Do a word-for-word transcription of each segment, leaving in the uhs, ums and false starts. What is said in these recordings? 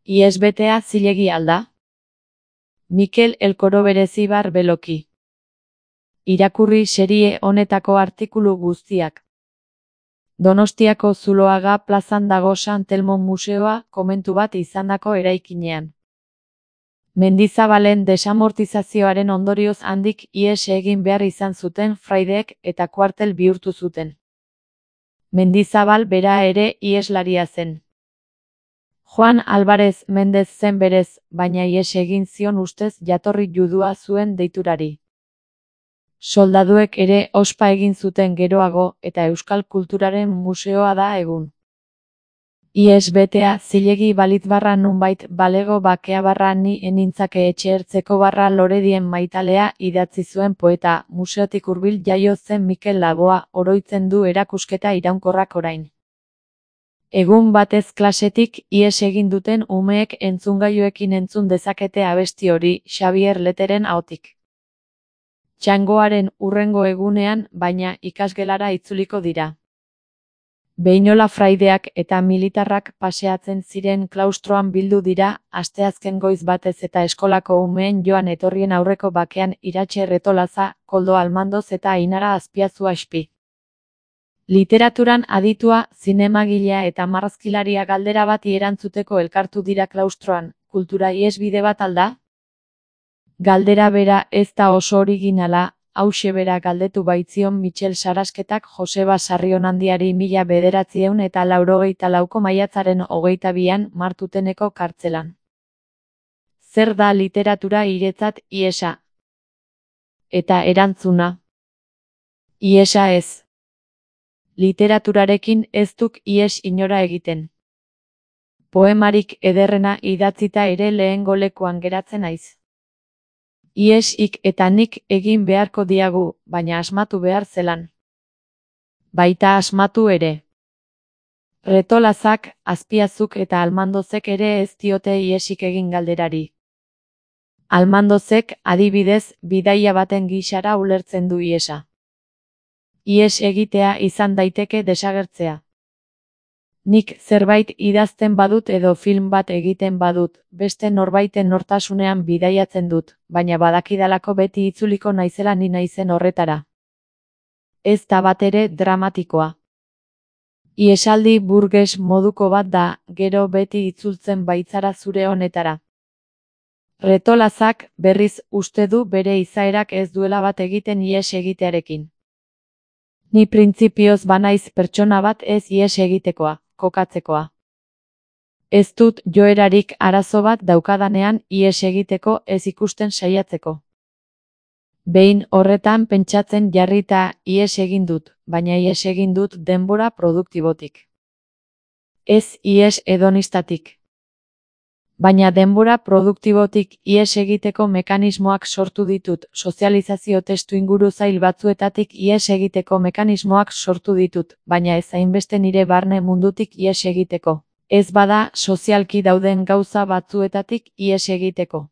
Ihes betea zilegi alda? Mikel Elkoro Berezibar Beloki. Irakurri serie honetako artikulu guztiak. Donostiako Zuloaga plazan dago San Telmo museoa komentu bat izandako eraikinean. Mendizabalen desamortizazioaren ondorioz handik ihes egin behar izan zuten fraideek eta kuartel bihurtu zuten. Mendizabal bera ere iheslaria zen. Juan Alvarez Mendez zen berez, baina ihes egin zion ustez jatorri judua zuen deiturari. Soldaduek ere ospa egin zuten geroago eta euskal kulturaren museoa da egun. Ihes betea zilegi balit barra nunbait balego bakea barra ni enintzake etxe ertzeko barra loredien maitalea idatzi zuen poeta, museotik hurbil jaio zen Mikel Laboa oroitzen du erakusketa iraunkorrak orain. Egun batez klasetik ihes egin duten umeek entzungailuekin entzun dezakete abesti hori Xabier Leteren ahotik. Txangoaren hurrengo egunean, baina ikasgelara itzuliko dira. Behinola fraideak eta militarrak paseatzen ziren klaustroan bildu dira, asteazken goiz batez eta eskolako umeen joan etorrien aurreko bakean Iratxe Retolaza, Koldo Almandoz eta Ainara Azpiazu Aspi. Literaturan aditua, zinemagilea eta marrazkilaria galdera bati erantzuteko elkartu dira klaustroan, kultura ihesbide bat alda? Galdera bera ez da oso originala, hauxe bera galdetu baitzion Mitxel Sarasketak Joseba Sarrionandiari mila bederatziehun eta laurogeita lauko maiatzaren hogeita bian Martuteneko kartzelan. Zer da literatura hiretzat ihesa? Eta erantzuna. Ihesa ez. Literaturarekin ez duk ihes inora egiten. Poemarik ederrena idatzita ere lehengo lekuan geratzen naiz. Ihesik eta nik egin beharko diagu, baina asmatu behar zelan. Baita asmatu ere. Retolazak, Azpiazuk eta Almandozek ere ez diote ihesik egin galderari. Almandozek, adibidez, bidaia baten gisara ulertzen du ihesa. Ihes egitea izan daiteke desagertzea. Nik zerbait idazten badut edo film bat egiten badut, beste norbaiten nortasunean bidaiatzen dut, baina badakidalako beti itzuliko naizela ni naizen horretara. Ez da batere dramatikoa. Ihesaldi burges moduko bat da, gero beti itzultzen baitzara zure honetara. Retolazak, berriz, uste du bere izaerak ez duela bat egiten ihes egitearekin. Ni printzipioz banaiz pertsona bat ez ihes egitekoa, kokatzekoa. Ez dut joerarik arazo bat daukadanean ihes egiteko ez ikusten saiatzeko. Behin horretan pentsatzen jarrita ihes egin dut, baina ihes egin dut denbora produktibotik. Ez ihes hedonistatik. Baina denbora produktibotik ihes egiteko mekanismoak sortu ditut, sozializazio testu inguru zail batzuetatik ihes egiteko mekanismoak sortu ditut, baina ez hainbeste nire barne mundutik ihes egiteko. Ez bada sozialki dauden gauza batzuetatik ihes egiteko.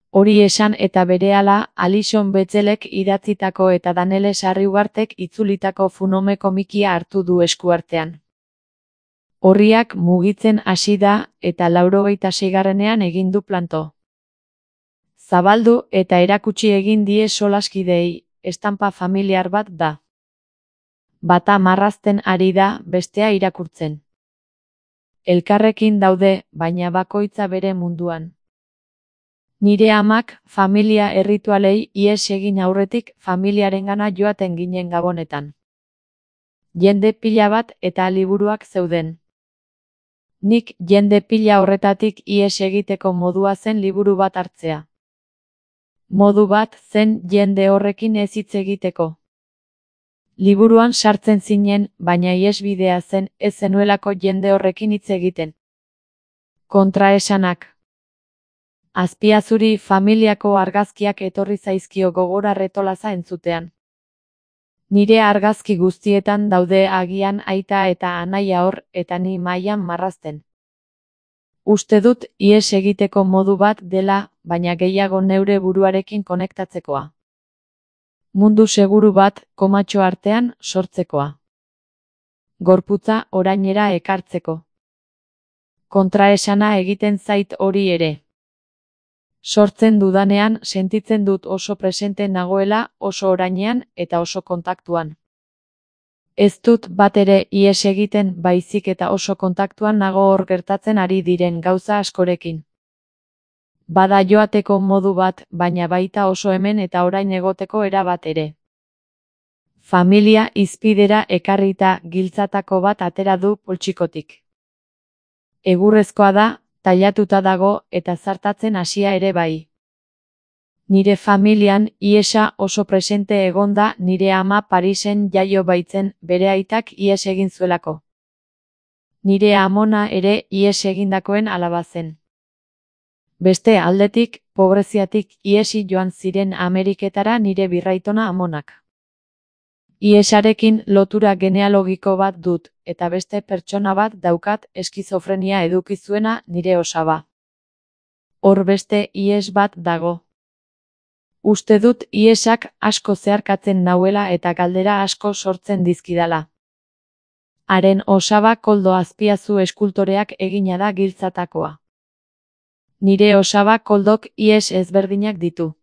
Hori esan eta berehala, Alison Bechdel-ek idatzitako eta Danele Sarriugartek itzulitako Funome komikia hartu du eskuartean. Horriak mugitzen hasi da eta laurogeita seigarrenean egin du planto. Zabaldu eta erakutsi egin die solaskideei, estanpa familiar bat da. Bata marrazten ari da, bestea irakurtzen. Elkarrekin daude, baina bakoitza bere munduan. Nire amak, familia erritualei ihes egin aurretik familiarengana joaten ginen Gabonetan. Jende pila bat eta liburuak zeuden. Nik jende pila horretatik ihes egiteko modua zen liburu bat hartzea. Modu bat zen jende horrekin ez hitz egiteko. Liburuan sartzen zinen, baina ihesbidea zen ez zenuelako jende horrekin hitz egiten. Kontraesanak. Azpiazuri familiako argazkiak etorri zaizkio gogora Retolaza entzutean. Nire argazki guztietan daude agian aita eta anaia hor eta ni mailan marrazten. Uste dut ihes egiteko modu bat dela, baina gehiago neure buruarekin konektatzekoa. Mundu seguru bat, komatxo artean, sortzekoa. Gorputza orainera ekartzeko. Kontraesana egiten zait hori ere. Sortzen dudanean sentitzen dut oso presente nagoela, oso orainean eta oso kontaktuan. Ez dut bat ere ihes egiten, baizik eta oso kontaktuan nago hor gertatzen ari diren gauza askorekin. Bada joateko modu bat, baina baita oso hemen eta orain egoteko era bat ere. Familia hizpidera ekarrita giltzatako bat atera du poltsikotik. Egurrezkoa da, tailatuta dago eta zartatzen hasia ere bai. Nire familian ihesa oso presente egonda, nire ama Parisen jaio baitzen, bere aitak ihes egin zuelako. Nire amona ere ihes egindakoen alaba zen. Beste aldetik, pobreziatik ihesi joan ziren Ameriketara nire birraitona amonak. Ihesarekin lotura genealogiko bat dut, eta beste pertsona bat daukat eskizofrenia eduki zuena, nire osaba. Hor beste ihes bat dago. Uste dut ihesak asko zeharkatzen nauela eta galdera asko sortzen dizkidala. Haren osaba Koldo Azpiazu eskultoreak egina da giltzatakoa. Nire osaba Koldok ihes ezberdinak ditu.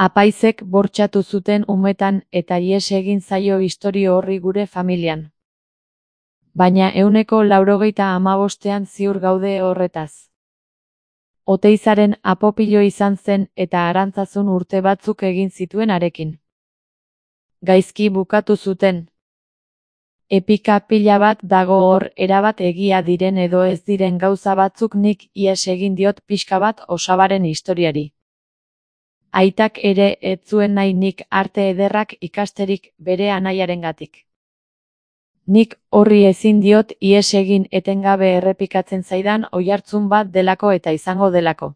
Apaizek bortxatu zuten umetan eta ihes egin zaio istorio horri gure familian. Baina ehuneko laurogeita hamabostean ziur gaude horretaz. Oteizaren apopilo izan zen eta Arantzazun urte batzuk egin zituen harekin. Gaizki bukatu zuten. Epika pila bat dago hor, erabat egia diren edo ez diren gauza batzuk, nik ihes egin diot pixka bat osabaren historiari. Aitak ere ez zuen nahi nik arte ederrak ikasterik bere anaiarengatik. Nik horri ezin diot ihes egin, etengabe errepikatzen zaidan oihartzun bat delako eta izango delako.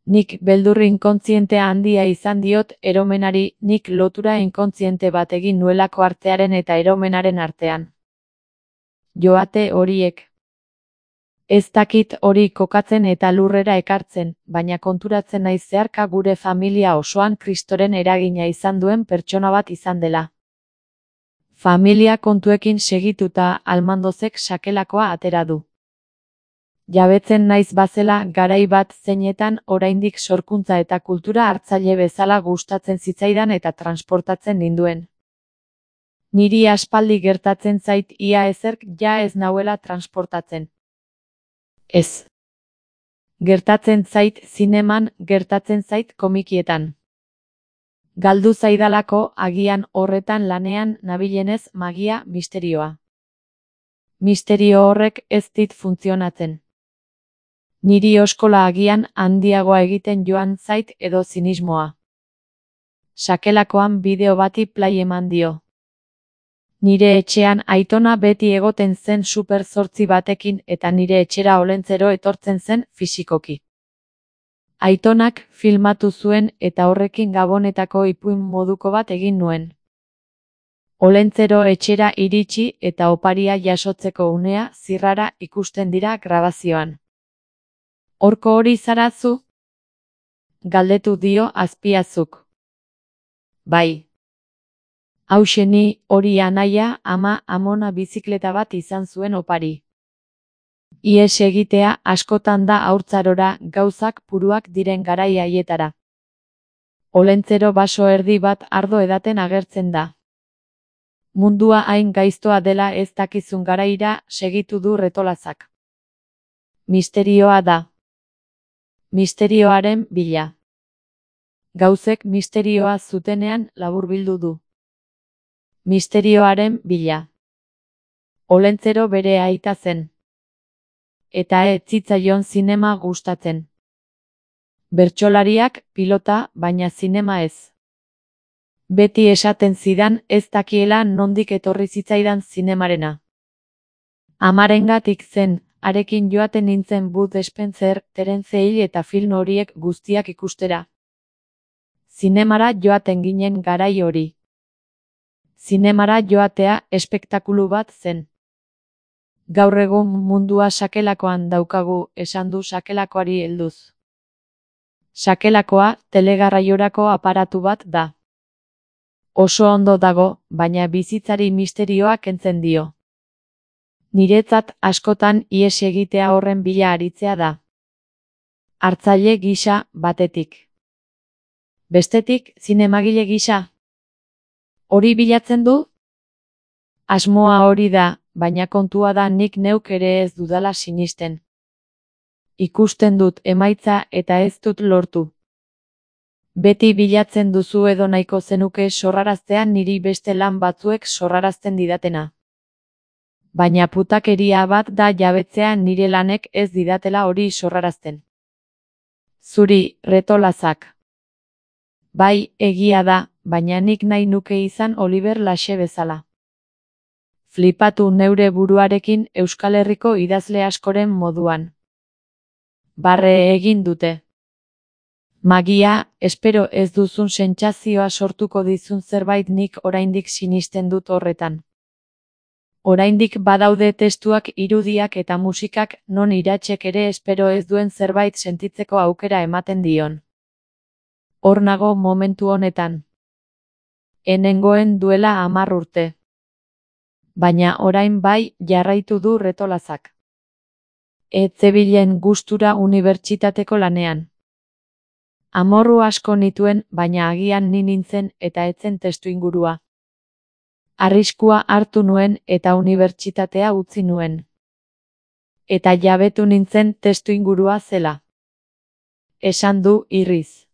Nik beldur inkontzientea handia izan diot eromenari, nik lotura inkontziente bat egin nuelako artearen eta eromenaren artean. Joate horiek. Ez dakit hori kokatzen eta lurrera ekartzen, baina konturatzen naiz zeharka gure familia osoan Kristoren eragina izan duen pertsona bat izan dela. Familia kontuekin segituta Almandozek sakelakoa atera du. Jabetzen naiz bazela garai bat zeinetan oraindik sorkuntza eta kultura hartzaile bezala gustatzen zitzaidan eta transportatzen ninduen. Niri aspaldi gertatzen zait ia ezerk ja ez nauela transportatzen. Ez. Gertatzen zait zineman, gertatzen zait komikietan. Galdu zaidalako agian horretan lanean nabilenez magia, misterioa. Misterio horrek ez dit funtzionatzen. Niri oskola agian handiagoa egiten joan zait edo zinismoa. Sakelakoan bideo bati play eman dio. Nire etxean aitona beti egoten zen super zortzi batekin eta nire etxera Olentzero etortzen zen fisikoki. Aitonak filmatu zuen eta horrekin Gabonetako ipuin moduko bat egin nuen. Olentzero etxera iritsi eta oparia jasotzeko unea zirrara ikusten dira grabazioan. Horko hori zarazu? Galdetu dio Azpiazuk. Bai. Hauxe ni, hori anaia, ama, amona bizikleta bat izan zuen opari. Ihes egitea askotan da haurtzarora, gauzak puruak diren garai haietara. Olentzero baso erdi bat ardo edaten agertzen da. Mundua hain gaiztoa dela ez dakizun garaira, segitu du Retolazak. Misterioa da. Misterioaren bila. Gauzek misterioa zutenean laburbildu du. Misterioaren bila. Olentzero bere aita zen. Eta ez zitzaion zinema gustatzen. Bertsolariak, pilota, baina zinema ez. Beti esaten zidan ez dakiela nondik etorri zitzaidan zinemarena. Amarengatik zen, harekin joaten nintzen Bud Spencer, Terence Hill eta film horiek guztiak ikustera. Zinemara joaten ginen garai hori. Zinemara joatea espektakulu bat zen. Gaur egun mundua sakelakoan daukagu, esan du sakelakoari helduz. Sakelakoa telegarraiorako aparatu bat da. Oso ondo dago, baina bizitzari misterioa kentzen dio. Niretzat askotan ihes egitea horren bila aritzea da. Hartzaile gisa, batetik. Bestetik, zinemagile gisa. Hori bilatzen du? Asmoa hori da, baina kontua da nik neuk ere ez dudala sinisten. Ikusten dut emaitza eta ez dut lortu. Beti bilatzen duzu edo nahiko zenuke sorraraztean niri beste lan batzuek sorrarazten didatena. Baina putakeria bat da jabetzea nire lanek ez didatela hori sorrarazten. Zuri, retolazak. Bai, egia da, baina nik nahi nuke izan Oliver Laxe bezala. Flipatu neure buruarekin Euskal Herriko idazle askoren moduan. Barre egin dute. Magia, espero ez duzun sentsazioa sortuko dizun zerbait nik oraindik sinisten dut horretan. Oraindik badaude testuak, irudiak eta musikak non iratsek ere espero ez duen zerbait sentitzeko aukera ematen dion. Hor nago momentu honetan. Enengoen duela hamar urte. Baina orain bai jarraitu du retolazak. Ez zebilen gustura unibertsitateko lanean. Amorru asko nituen, baina agian ni nintzen eta etzen testuingurua. Arriskua hartu nuen eta unibertsitatea utzi nuen. Eta jabetu nintzen testuingurua zela. Esan du irriz.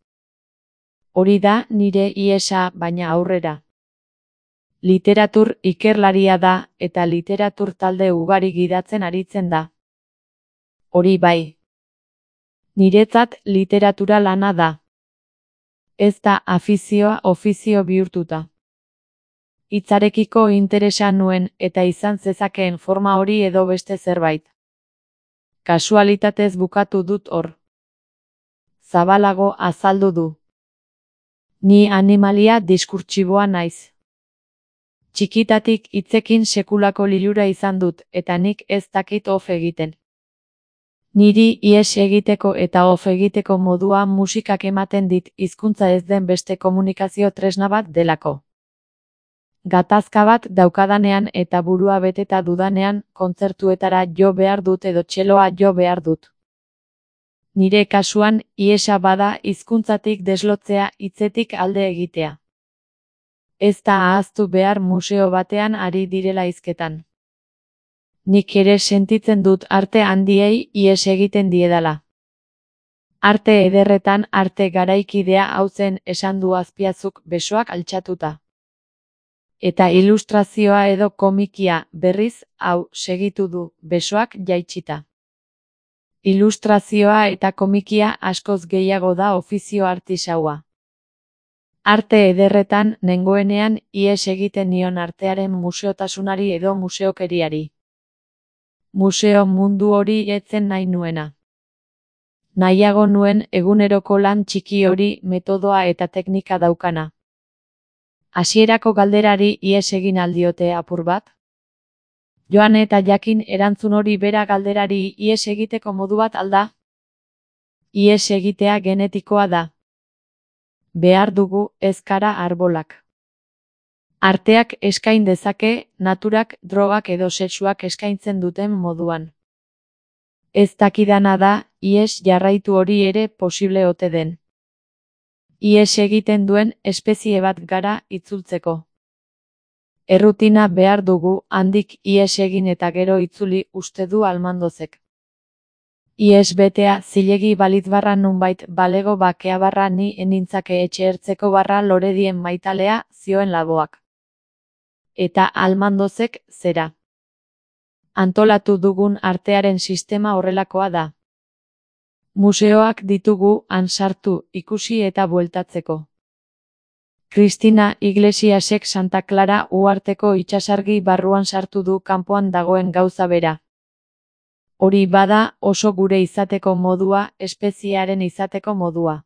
Hori da nire ihesa, baina aurrera. Literatur ikerlaria da eta literatur talde ugari gidatzen aritzen da. Hori bai. Niretzat literatura lana da. Ez da afizioa ofizio bihurtuta. Hitzarekiko interesa nuen eta izan zezakeen forma hori edo beste zerbait. Kasualitatez bukatu dut hor. Zabalago azaldu du. Ni animalia diskurtsiboa naiz. Txikitatik hitzekin sekulako lilura izan dut eta nik ez dakit of egiten. Niri ihes egiteko eta of egiteko modua musikak ematen dit hizkuntza ez den beste komunikazio tresna bat delako. Gatazka bat daukadanean eta burua beteta dudanean kontzertuetara jo behar dut edo txeloa jo behar dut. Nire kasuan ihesa bada hizkuntzatik deslotzea, hitzetik alde egitea. Ez da ahaztu behar museo batean ari direla hizketan. Nik ere sentitzen dut arte handiei ihes egiten diedala. Arte ederretan arte garaikidea hau zen esan du Azpiazuk besoak altxatuta. Eta ilustrazioa edo komikia berriz hau segitu du besoak jaitsita. Ilustrazioa eta komikia askoz gehiago da ofizio artisaua. Arte ederretan nengoenean ihes egiten nion artearen museotasunari edo museokeriari. Museo mundu hori etzen nahi nuena. Nahiago nuen eguneroko lan txiki hori metodoa eta teknika daukana. Hasierako galderari ihes egin aldiote apur bat? Joan eta jakin erantzun hori bera galderari ihes egiteko modu bat alda? Ihes egitea genetikoa da. Behar dugu ezkara arbolak. Arteak eskain dezake, naturak, drogak edo sexuak eskaintzen duten moduan. Ez dakidana da, ihes jarraitu hori ere posible ote den. Ihes egiten duen espezie bat gara itzultzeko. Errutina behar dugu, handik ihes egin eta gero itzuli uste du Almandozek. Ihes betea zilegi balitz barra nunbait balego bakea barra ni enintzake etxe ertzeko barra loredien maitalea, zioen Laboak. Eta Almandozek zera. Antolatu dugun artearen sistema horrelakoa da. Museoak ditugu han sartu, ikusi eta bueltatzeko. Cristina Iglesiasek Santa Clara uharteko itsasargi barruan sartu du kanpoan dagoen gauza bera. Hori bada oso gure izateko modua, espeziearen izateko modua.